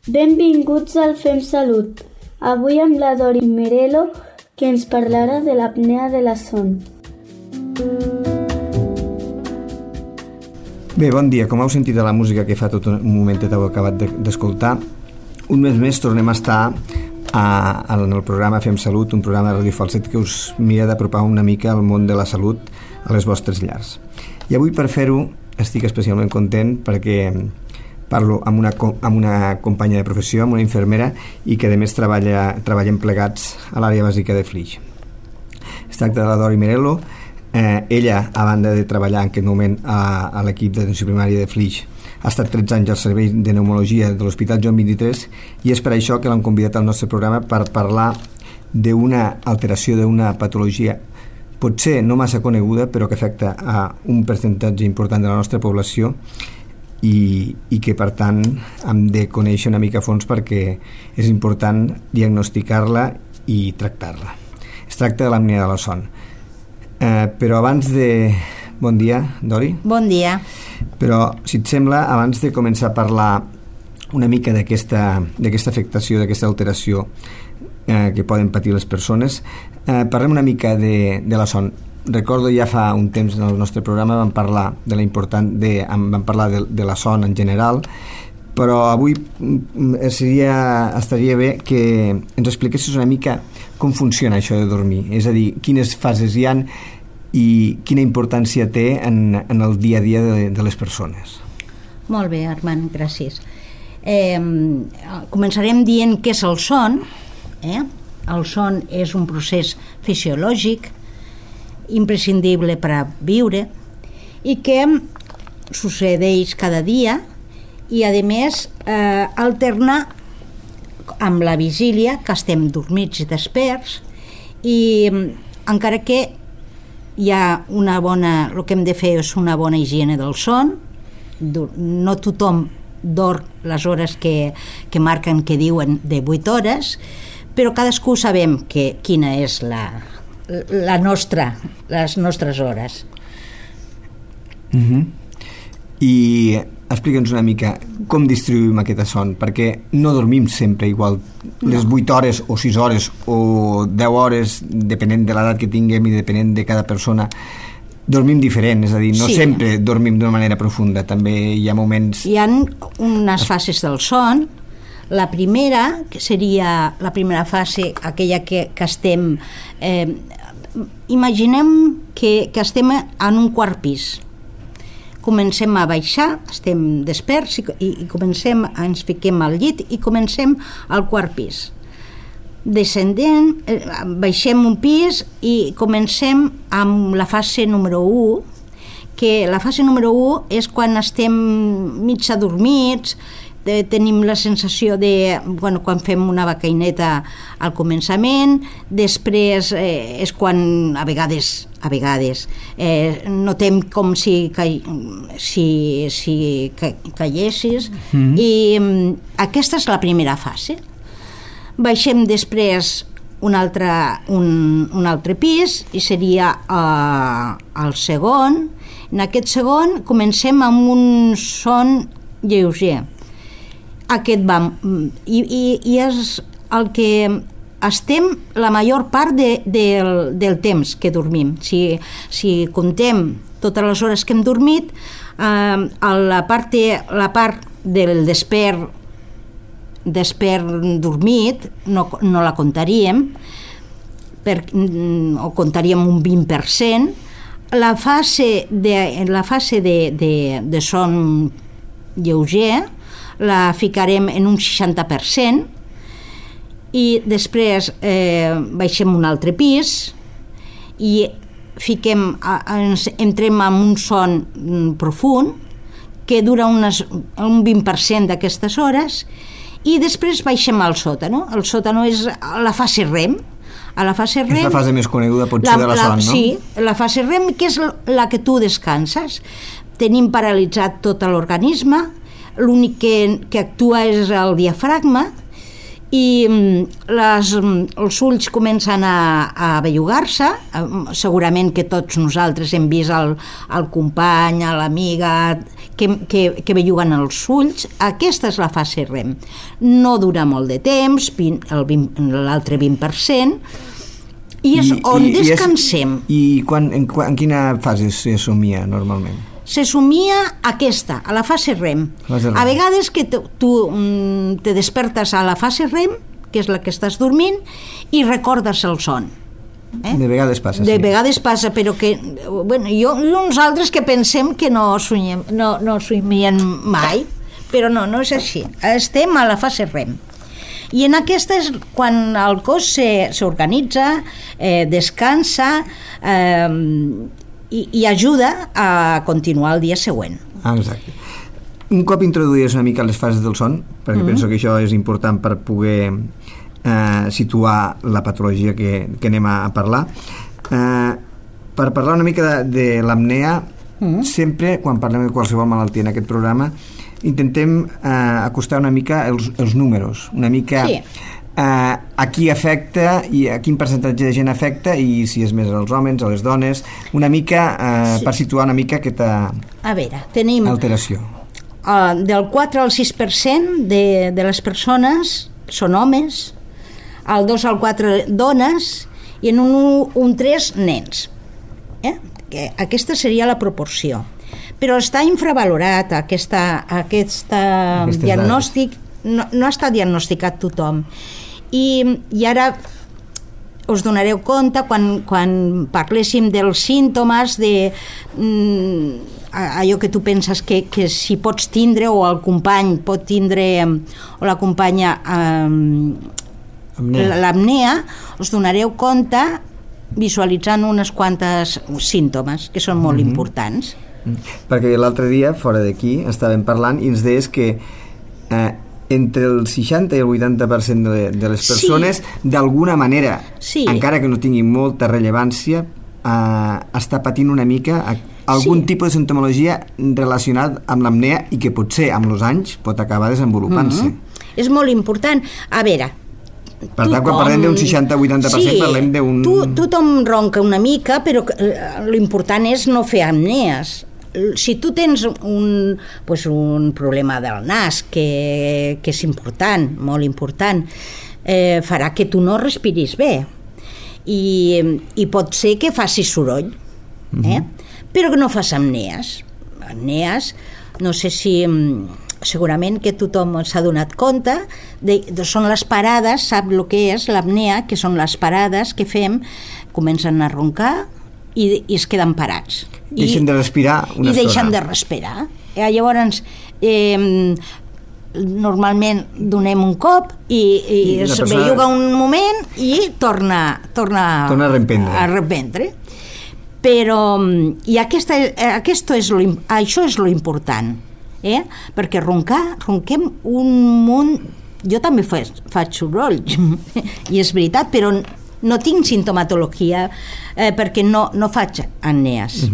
Benvinguts al Fem Salut. Avui amb la Dori Merelo, que ens parlarà de l'apnea de la son. Bé, bon dia. Com heu sentit a la música que fa tot un momentet heu acabat d'escoltar, un mes més tornem a estar en el programa Fem Salut, un programa de Ràdio Falset que us mira d'apropar una mica al món de la salut a les vostres llars. I avui, per fer-ho, estic especialment content perquè parlo amb una companya de professió, amb una infermera, i que a més treballem plegats a l'àrea bàsica de Flix. Es tracta de la Dori Merelo. Ella, a banda de treballar en aquest moment a l'equip d'atenció primària de Flix, ha estat 13 anys al servei de pneumologia de l'Hospital Joan 23, i és per això que l'hem convidat al nostre programa per parlar d'una alteració, d'una patologia potser no massa coneguda, però que afecta a un percentatge important de la nostra població i que per tant hem de conèixer una mica a fons perquè és important diagnosticar-la i tractar-la. Es tracta de l'apnea de la son. Però abans de... Bon dia, Dori. Bon dia. Però, si et sembla, abans de començar a parlar una mica d'aquesta afectació, d'aquesta alteració que poden patir les persones, parlem una mica de la son. Recordo ja fa un temps en el nostre programa vam parlar de la son en general, però avui estaria bé que ens expliquessis una mica com funciona això de dormir, és a dir, quines fases hi ha i quina importància té en el dia a dia de les persones. Molt bé, Armand, gràcies. Començarem dient què és el son. El son és un procés fisiològic imprescindible per a viure i que succeeix cada dia i a més alterna amb la vigília, que estem dormits i desperts, i encara que hi ha el que hem de fer és una bona higiene del son. No tothom dorm les hores que marquen, que diuen de 8 hores, però cadascú sabem quina és les nostres hores. I explica'ns una mica com distribuïm aquesta son, perquè no dormim sempre igual, les 8 hores o 6 hores o 10 hores, depenent de l'edat que tinguem i depenent de cada persona, dormim diferent, és a dir, no sempre dormim d'una manera profunda, també hi ha moments... Hi ha unes fases del son. La primera, que seria la primera fase, aquella que estem... imaginem que estem en un quart pis. Comencem a baixar, estem desperts i ens fiquem al llit i comencem al quart pis. Descendent, baixem un pis i comencem amb la fase número 1, que la fase número 1 és quan estem mig adormits, tenim la sensació de, quan fem una becaineta al començament, després és quan a vegades notem com si caiessis, i aquesta és la primera fase. Baixem després un altre pis i seria el segon. En aquest segon comencem amb un son lleuger. Aquest va i és el que estem la major part del temps que dormim. Si comptem totes les hores que hem dormit, la part del despert dormit no la contaríem, o contaríem un 20%. La fase de son lleuger la ficarem en un 60% i després baixem un altre pis i entrem en un son profund que dura un 20% d'aquestes hores i després baixem al sòtano. El sòtano és la fase REM. A la fase REM, és la fase més coneguda potser de la son, no? Sí, la fase REM, que és la que tu descanses. Tenim paralitzat tot l'organisme, l'únic que actua és el diafragma i els ulls comencen a bellugar-se. Segurament que tots nosaltres hem vist el company, l'amiga que belluguen els ulls. Aquesta és la fase REM. No dura molt de temps, l'altre 20%, i és on descansem. I en quina fase se somia normalment? Se somia aquesta, a la fase REM. A vegades que tu te despertes a la fase REM, que és la que estàs dormint, i recordes el son. De vegades passa, sí. De vegades passa, però que... Bueno, hi ha uns altres que pensem que no somien mai, però no és així. Estem a la fase REM. I en aquesta és quan el cos s'organitza, descansa, i ajuda a continuar el dia següent. Exacte. Un cop introduïdes una mica les fases del son, perquè penso que això és important per poder situar la patologia que anem a parlar, per parlar una mica de l'apnea, sempre quan parlem de qualsevol malaltia en aquest programa intentem acostar una mica els números, una mica... Sí. A qui afecta i a quin percentatge de gent afecta, i si és més als homes, a les dones, una mica per situar una mica aquesta alteració. Del 4 al 6% de les persones són homes, el 2 al 4 dones i en un 3 nens. Que aquesta seria la proporció. Però està infravalorat aquest diagnòstic, no està diagnosticat tothom. I ara us donareu compte quan parléssim dels símptomes, allò que tu penses que si pots tindre, o el company pot tindre, o la companya l'apnea, us donareu compte visualitzant unes quantes símptomes que són molt importants. Perquè l'altre dia, fora d'aquí, estàvem parlant i ens deies que entre el 60 i el 80% de les persones, d'alguna manera, encara que no tingui molta rellevància, està patint una mica algun tipus de sintomologia relacionat amb l'apnea i que potser amb els anys pot acabar desenvolupant-se. És molt important. A veure, per tant, quan parlem d'un 60-80% parlem d'un... Tothom ronca una mica, però l'important és no fer apnees. Si tu tens un problema del nas que és important, molt important, farà que tu no respiris bé i pot ser que facis soroll, però que no fas apnees. No sé si segurament que tothom s'ha donat compte són les parades, sap el que és l'apnea, que són les parades que fem, comencen a roncar i es queden parats. Deixen de respirar una estona. I deixen de respirar. Llavors, normalment donem un cop i es belluga un moment i torna a reprendre. Però això és lo important, perquè ronquem un munt. Jo també faig soroll i és veritat, però no tinc sintomatologia perquè no faig apnees.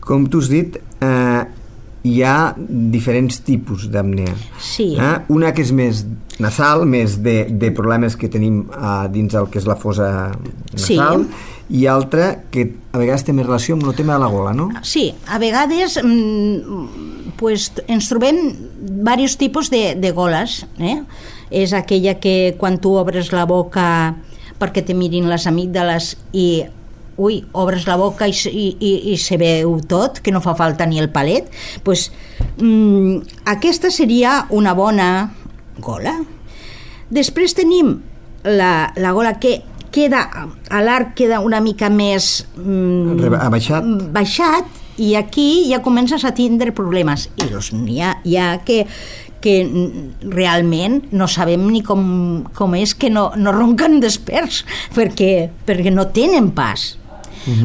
Com tu has dit, hi ha diferents tipus d'apnea. Sí. Una que és més nasal, més de problemes que tenim dins el que és la fosa nasal, i altra que a vegades té més relació amb el tema de la gola, no? Sí, a vegades ens trobem diversos tipus de goles. És aquella que quan tu obres la boca perquè te mirin les amígdales i obres la boca i se veu tot, que no fa falta ni el palet, aquesta seria una bona gola. Després tenim la gola que queda a l'arc, queda una mica més baixat, i aquí ja comences a tindre problemes, i n'hi ha que realment no sabem ni com és que no ronquen desperts, perquè no tenen pas.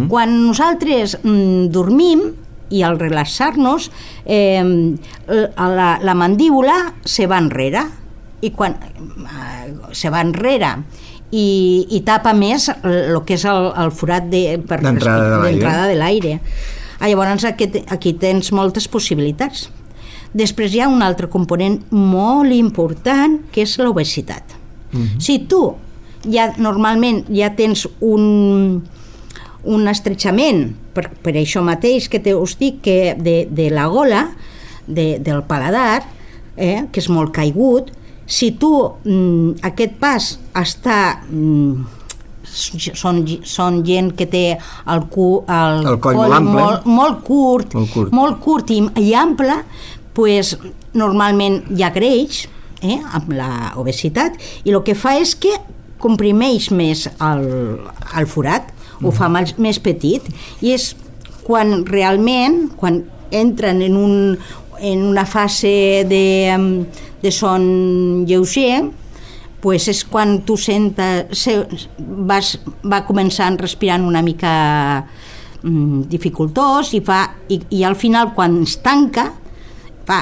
Quan nosaltres dormim i al relaxar-nos la mandíbula se va enrere, i quan se va enrere i tapa més el que és el forat d'entrada de l'aire. Llavors aquí tens moltes possibilitats. Després hi ha un altre component molt important, que és l'obesitat. Si tu normalment ja tens un estrechament, per això mateix que us dic, que de la gola, del paladar, que és molt caigut, si tu aquest pas està... Són gent que té el coll molt curt i ample, pues, normalment hi ha greix amb l'obesitat, i el que fa és que comprimeix més el forat, ho fa més petit, i és quan realment, quan entren en una fase de son lleuger, pues és quan tu va començant respirant una mica dificultós i al final quan es tanca fa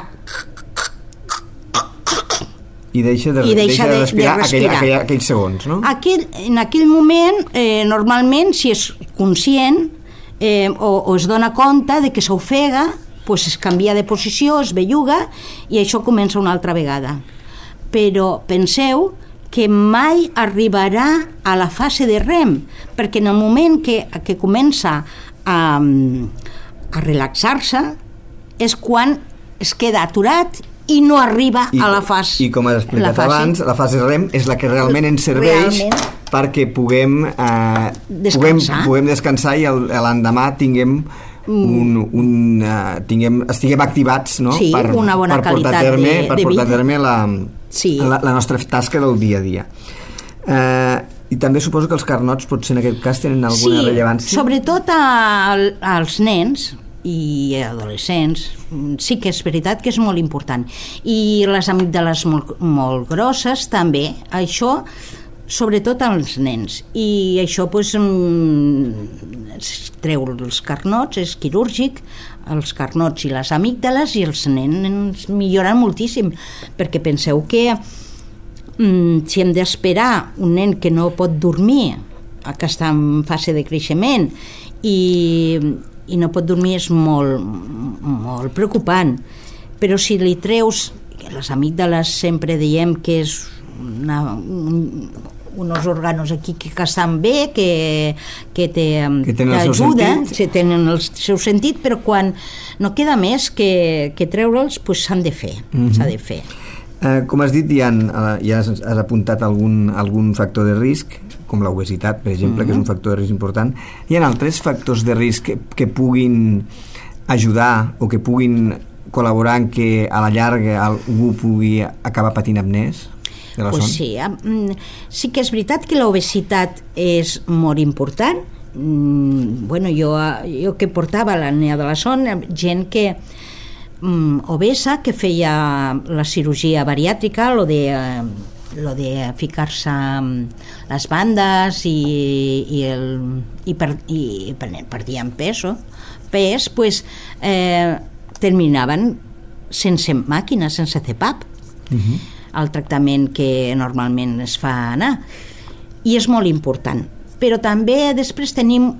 i deixa de respirar aquells segons, no? En aquell moment, normalment, si és conscient o es dona compte de que s'ofega, pues es canvia de posició, es belluga i això comença una altra vegada. Però penseu que mai arribarà a la fase de REM, perquè en el moment que comença a relaxar-se és quan es queda aturat i no arriba a la fase. I com has explicat abans, la fase REM és la que realment ens serveix perquè puguem descansar i l'endemà estiguem activats, no? Sí, una bona qualitat de vida. Per portar a terme la nostra tasca del dia a dia. I també suposo que els carnots potser en aquest cas tenen alguna rellevància. Sí, sobretot als nens i adolescents, sí que és veritat que és molt important. I les amígdales molt grosses també, això sobretot als nens, i això pues, treu els carnots, és quirúrgic, els carnots i les amígdales, i els nens milloren moltíssim, perquè penseu que si hem d'esperar un nen que no pot dormir, que està en fase de creixement i no pot dormir, és molt preocupant. Però si li treus les amígdales, sempre diem que és uns òrgans aquí que estan bé, que t'ajuden, tenen el seu sentit, però quan no queda més que treure'ls, pues s'han de fer, s'ha de fer. Com has dit, ja has apuntat algun factor de risc, com l'obesitat, per exemple, que és un factor de risc important. Hi ha altres factors de risc que puguin ajudar o que puguin col·laborar en que a la llarga algú pugui acabar patint apnès? Pues sí, sí que és veritat que l'obesitat és molt important. Jo que portava l'apnea de la son, gent que obesa, que feia la cirurgia bariàtrica, lo de ficar-se les bandes i perdien pes, pues terminaven sense màquina, sense CPAP. El tractament que normalment es fa anar, i és molt important. Però també després tenim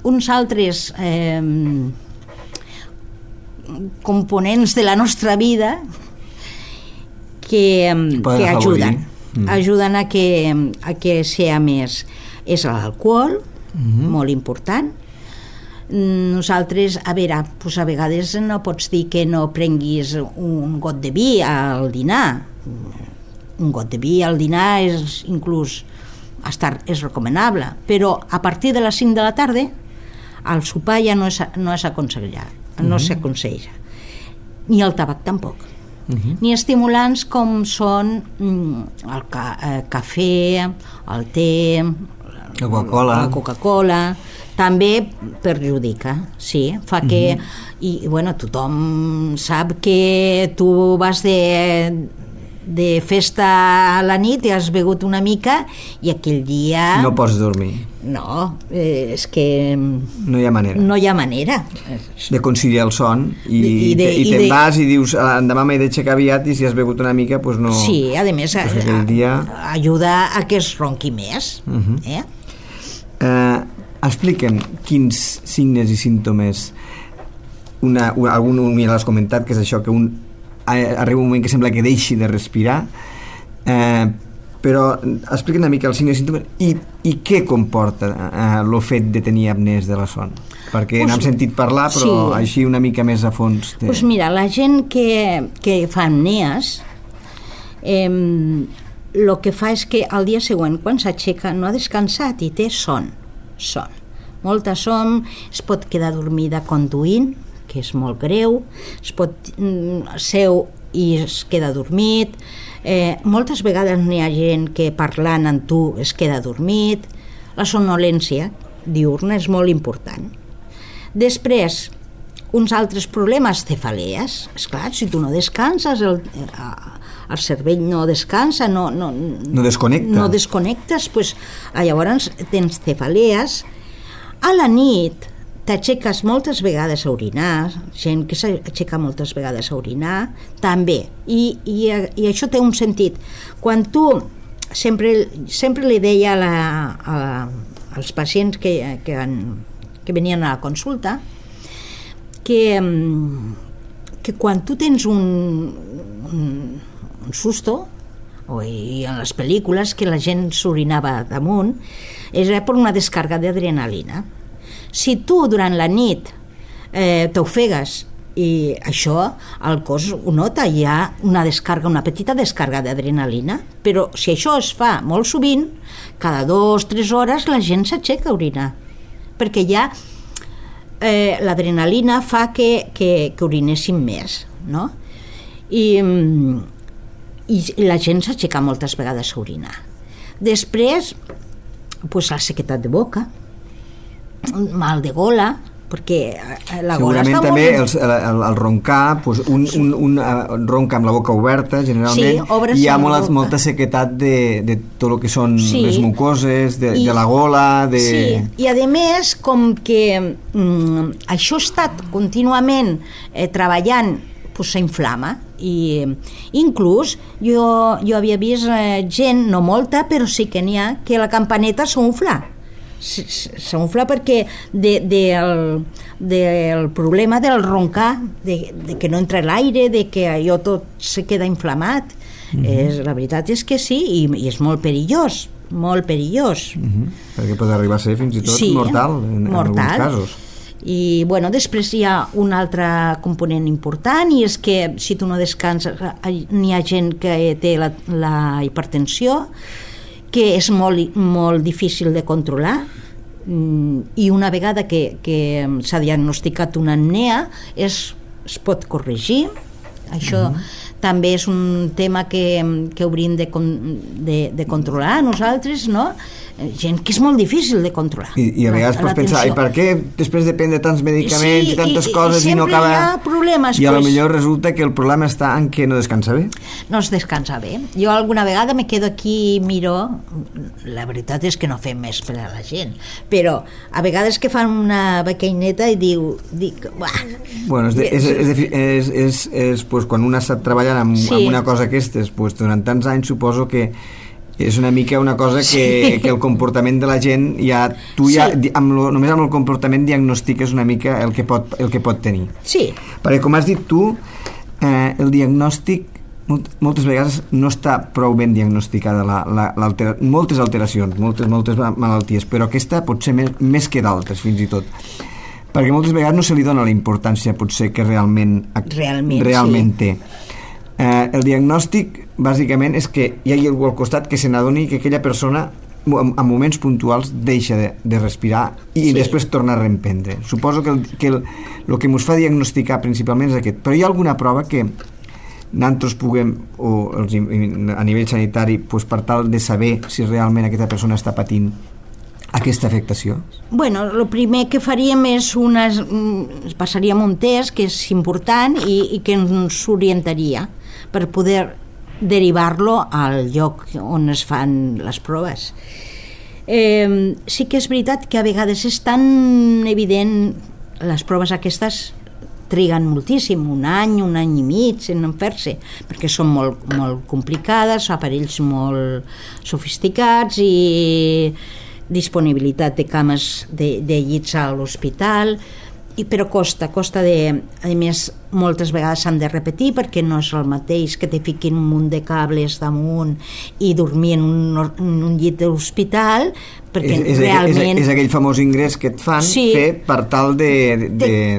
uns altres components de la nostra vida que ajuden a que sigui més. És l'alcohol, molt important. Nosaltres, a vegades no pots dir que no prenguis un got de vi al dinar. Un got de vi al dinar és inclús és recomanable, però a partir de les 5 de la tarda el sopar ja no s'aconsella, ni el tabac tampoc, ni estimulants com són el cafè, el te, la Coca-Cola, també perjudica, sí, fa que tothom sap que tu vas de festa a la nit i has begut una mica i aquell dia no pots dormir. No, és que no hi ha manera. No hi ha manera de conciliar el son i te'n vas i dius demà m'he d'aixecar aviat, i si has begut una mica doncs no. Sí, a més ajuda a que es ronqui més. Explica'm quins signes i símptomes, algun ja l'has comentat, que és això, que un arriba un moment que sembla que deixi de respirar, però explica una mica els signes i símptomes i què comporta el fet de tenir apnees de la son, perquè n'hem sentit parlar però així una mica més a fons Doncs mira, la gent que fa apnees el que fa és que al dia següent quan s'aixeca no ha descansat i té son, molta son, es pot quedar dormida conduint, que és molt greu, es pot seu i es queda dormit, moltes vegades n'hi ha gent que parlant amb tu es queda dormit. La somnolència diurna és molt important. Després, uns altres problemes, cefalees. Esclar, si tu no descanses, el cervell no descansa, no desconnectes, pues, llavors tens cefalees. A la nit t'aixeques moltes vegades a orinar, gent que s'aixeca moltes vegades a orinar, també. I això té un sentit. Quan tu, sempre li deia als pacients que venien a la consulta, que quan tu tens un susto, i en les pel·lícules que la gent s'orinava damunt, era per una descàrrega d'adrenalina. Si tu durant la nit t'ofegues i això el cos ho nota, hi ha una petita descàrrega d'adrenalina, però si això es fa molt sovint, cada 2-3 hores la gent s'aixeca a orinar, perquè ja l'adrenalina fa que orinessin més, no? I la gent s'aixeca moltes vegades a orinar. Després, pues, la sequetat de boca, mal de gola, perquè la gola segurament està també molt... el roncar, pues, un ronca amb la boca oberta generalment, hi ha molta sequetat de tot el que són les mucoses, de la gola, i a més, com que això ha estat contínuament treballant, pues, s'inflama, i inclús jo havia vist gent, no molta, però sí que n'hi ha, que la campaneta s'unfla perquè del problema del roncar, de que no entra l'aire, de que allò tot se queda inflamat. La veritat és que sí, i és molt perillós, perquè pot arribar a ser fins i tot mortal en alguns casos. I bueno, després hi ha un altre component important, i és que si tu no descanses, n'hi ha gent que té la hipertensió, que és molt difícil de controlar, i una vegada que s'ha diagnosticat una apnea es pot corregir. Això també és un tema que hauríem de controlar nosaltres, no? Gent que és molt difícil de controlar. I a vegades pots pensar, i per què després de prendre tants medicaments i tantes coses i no acaba... Sempre hi ha problemes. I a lo millor resulta que el problema està en que no descansa bé. No es descansa bé. Jo alguna vegada me quedo aquí i miro, la veritat és que no fem més per a la gent, però a vegades que fan una bequeineta i dic... Bueno, és pues, quan un ha estat treballant amb una cosa aquestes, pues, durant tants anys suposo que és una mica una cosa que el comportament de la gent només amb el comportament diagnostiques una mica el que pot tenir. Sí. Perquè com has dit tu, el diagnòstic moltes vegades no està prou ben diagnosticada moltes alteracions, moltes malalties, però aquesta pot ser més que d'altres fins i tot, perquè moltes vegades no se li dona la importància potser que realment té. El diagnòstic bàsicament és que hi ha algú al costat que se n'adoni que aquella persona en moments puntuals deixa de respirar i després torna a reemprendre. Suposo que el que ens fa diagnosticar principalment és aquest, però hi ha alguna prova que nosaltres puguem, a nivell sanitari, per tal de saber si realment aquesta persona està patint aquesta afectació? Bueno, el primer que faríem és passaríem un test que és important i que ens orientaria per poder derivar-lo al lloc on es fan les proves. Sí que és veritat que a vegades és tan evident, les proves aquestes triguen moltíssim, un any i mig en fer-se, perquè són molt complicades, aparells molt sofisticats i disponibilitat de cames de llits a l'hospital, però costa a més moltes vegades s'han de repetir perquè no és el mateix que te fiquin un munt de cables damunt i dormir en un llit d'hospital, perquè realment... És aquell famós ingrés que et fan fer per tal de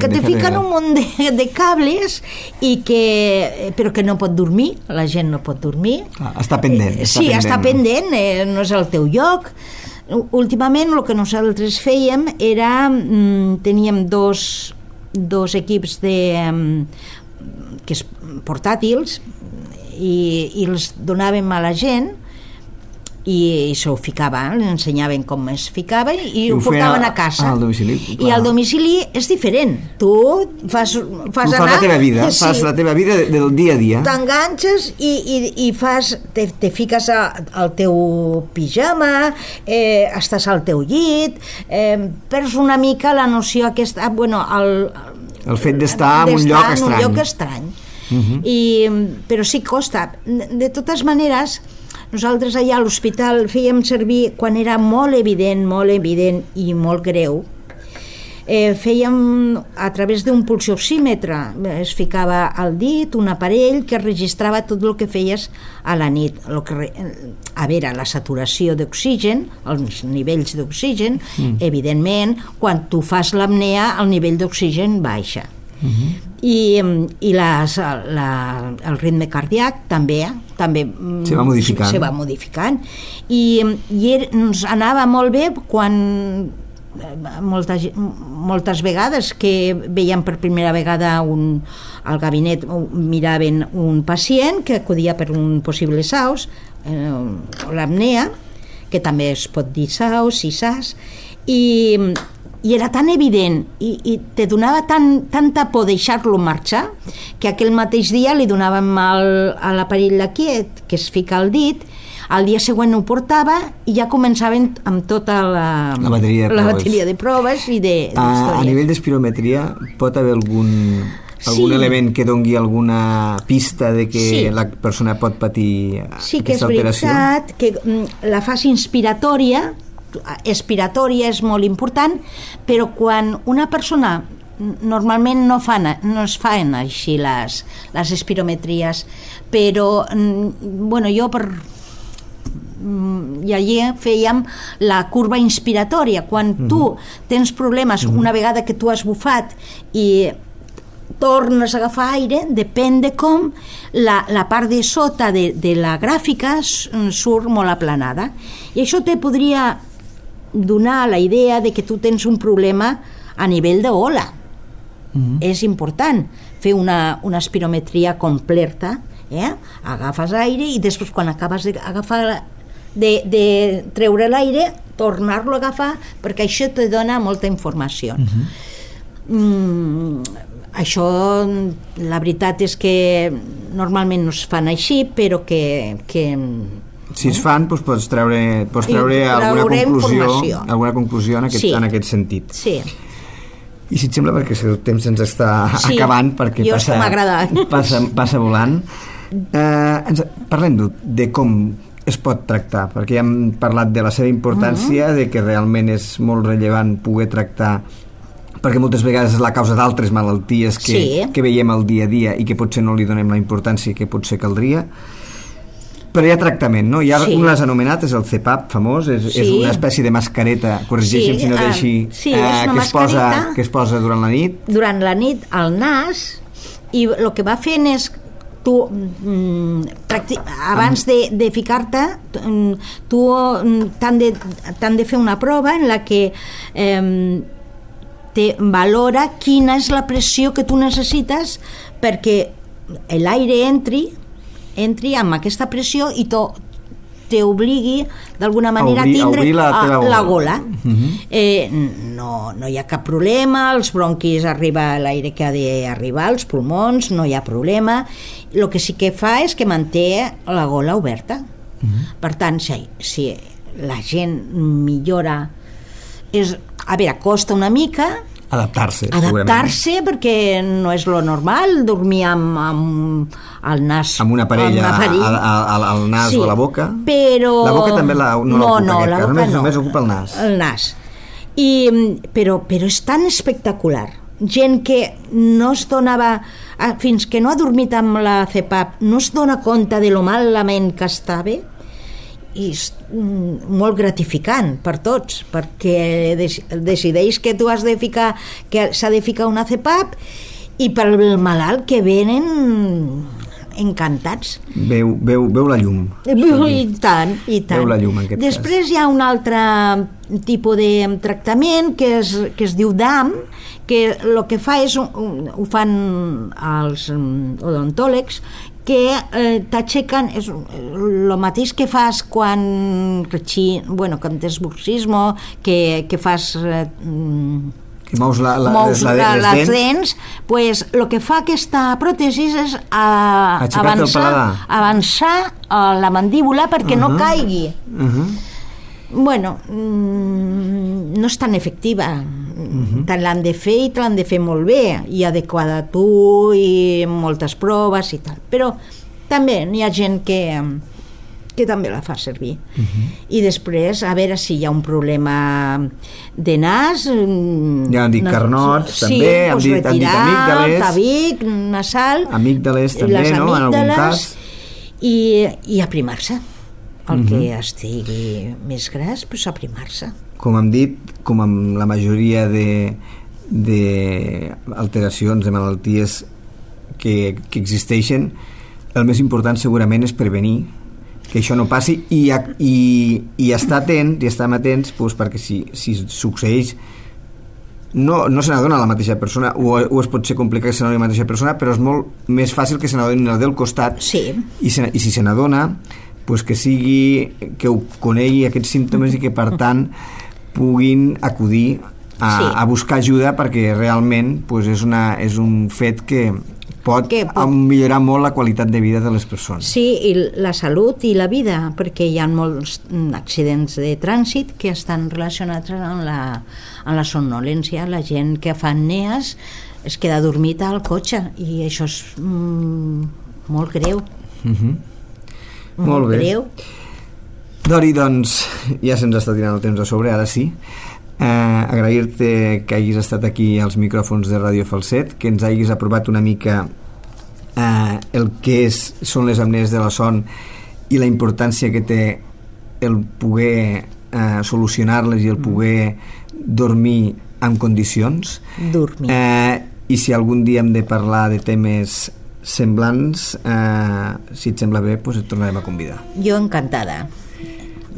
que te fiquen un munt de cables però que no pot dormir, la gent no pot dormir. Està pendent. Està pendent, no és el teu lloc. Últimament el que nosaltres fèiem era teníem dos equips portàtils i els donàvem a la gent i s'ho ficava, li ensenyaven com es ficava i ho portaven a casa. Al domicili. I al domicili és diferent. Tu fas anar... la teva vida, fas la teva vida del dia a dia. T'enganxes i te fiques al teu pijama, estàs al teu llit, perds una mica la noció aquesta... El fet d'estar en un lloc estrany. Però sí costa. De totes maneres, nosaltres allà a l'hospital fèiem servir, quan era molt evident i molt greu, fèiem a través d'un pulsioxímetre, es ficava al dit un aparell que registrava tot el que feies a la nit, la saturació d'oxigen, els nivells d'oxigen, evidentment, quan tu fas l'apnea el nivell d'oxigen baixa. I el ritme cardíac també se va modificant i ens anava molt bé quan moltes vegades que veiem per primera vegada al gabinet miraven un pacient que acudia per un possible SAUS, l'apnea, que també es pot dir SAUS i SAS, i era tan evident i te donava tanta por deixar-lo marxar que aquell mateix dia li donàvem a l'aparell d'aquí que es fica al dit, al dia següent ho portava i ja començaven amb tota la bateria de proves i a nivell d'espirometria pot haver algun element que dongui alguna pista de que la persona pot patir aquesta alteració? Sí, que és veritat que la fase inspiratòria és molt important, però quan una persona normalment no es fan així les espirometries, però jo i allí fèiem la curva inspiratòria. Quan tu tens problemes una vegada que tu has bufat i tornes a agafar aire, depèn de com la part de sota de la gràfica surt molt aplanada, i això te podria donar la idea de que tu tens un problema a nivell d'ola. És important fer una espirometria completa, agafes aire i després quan acabes de treure l'aire tornar-lo a agafar, perquè això te dona molta informació. Això la veritat és que normalment no es fan així, però que si es fan, doncs pots treure alguna conclusió en aquest sentit. Sí. I si et sembla, perquè el temps ens està acabant, perquè passa volant, parlem de com es pot tractar, perquè ja hem parlat de la seva importància, de que realment és molt rellevant poder tractar, perquè moltes vegades és la causa d'altres malalties que veiem al dia a dia i que potser no li donem la importància que potser caldria. Però hi ha tractament, no? Hi ha un l'has anomenat, és el CPAP famós, és una espècie de mascareta, corregeixin si no deixi, que es posa durant la nit. Durant la nit al nas, i el que va fent és tu abans de ficar-te tu t'han de fer una prova en la que te valora quina és la pressió que tu necessites perquè l'aire entri amb aquesta pressió i t'obligui d'alguna manera a tindre la gola. No hi ha cap problema, als bronquis arriba l'aire que ha d'arribar, als pulmons no hi ha problema. El que sí que fa és que manté la gola oberta. Per tant, si la gent millora, costa una mica adaptar-se, perquè no és lo normal dormir amb el nas, amb una parella al nas o a la boca, però la boca també només ocupa el nas, però és tan espectacular gent que no es donava, fins que no ha dormit amb la CPAP, no es dona compte de lo malament que estava, i és molt gratificant per tots, perquè decideix que tu has de ficar, que s'ha de ficar una CPAP, i per el malalt que venen encantats. Veu la llum. I tant, i tant. Veu la llum, en aquest Després cas. hi ha un altre tipus de tractament que es diu DAM, que el que fa és, ho fan els odontòlegs, que t'aixequen, és el mateix que fas quan tens bruxismo, que fas... que mous les dents, pues, el que fa aquesta pròtesi és avançar la mandíbula perquè no caigui. Bueno, no és tan efectiva. Tant l'han de fer i te l'han de fer molt bé, i adequada a tu, i moltes proves i tal. Però també hi ha gent que també la fa servir. I després, a veure si hi ha un problema de nas... Ja han dit carnots, també, han dit amígdales... tabic, nasal... Amígdales també, no?, en algun cas. I aprimar-se. El que estigui més gras, doncs aprimar-se. Com hem dit, com amb la majoria d'alteracions, de malalties que existeixen, el més important segurament és prevenir que això no passi i estar atents, i estar atents, doncs, perquè si succeeix no se n'adona la mateixa persona, o es pot ser complicat que se n'adoni la mateixa persona, però és molt més fàcil que se n'adoni la del costat. Sí. I si se n'adona, doncs que ho conegui aquests símptomes i que per tant puguin acudir a buscar ajuda, perquè realment doncs, és un fet que pot millorar molt la qualitat de vida de les persones. Sí, i la salut i la vida, perquè hi ha molts accidents de trànsit que estan relacionats amb la somnolència. La gent que fa apnees es queda dormit al cotxe, i això és molt greu. Molt bé. Greu. Dori, doncs, ja se'ns està tirant el temps a sobre, ara sí. Agrair-te que hagis estat aquí als micròfons de Ràdio Falset, que ens hagis aprovat una mica el que són les apnees de la son i la importància que té el poder solucionar-les i el poder dormir en condicions. Dormir. I si algun dia hem de parlar de temes semblants, si et sembla bé, doncs et tornarem a convidar. Jo encantada.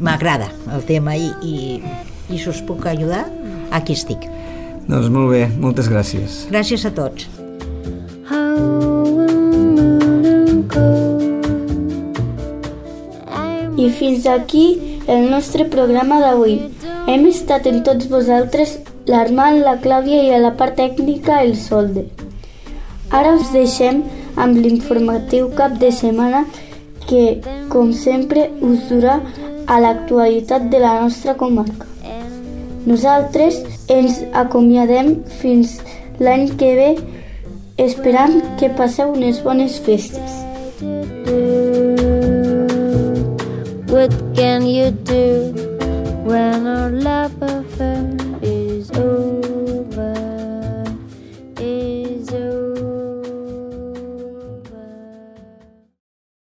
M'agrada el tema i si us puc ajudar, aquí estic. Doncs molt bé, moltes gràcies. Gràcies a tots. I fins aquí el nostre programa d'avui. Hem estat amb tots vosaltres l'Armand, la Clàudia, i a la part tècnica el Solde. Ara us deixem amb l'informatiu cap de setmana que, com sempre, us durà a l'actualitat de la nostra comarca. Nosaltres ens acomiadem fins l'any que ve, esperant que passeu unes bones festes. What can you do when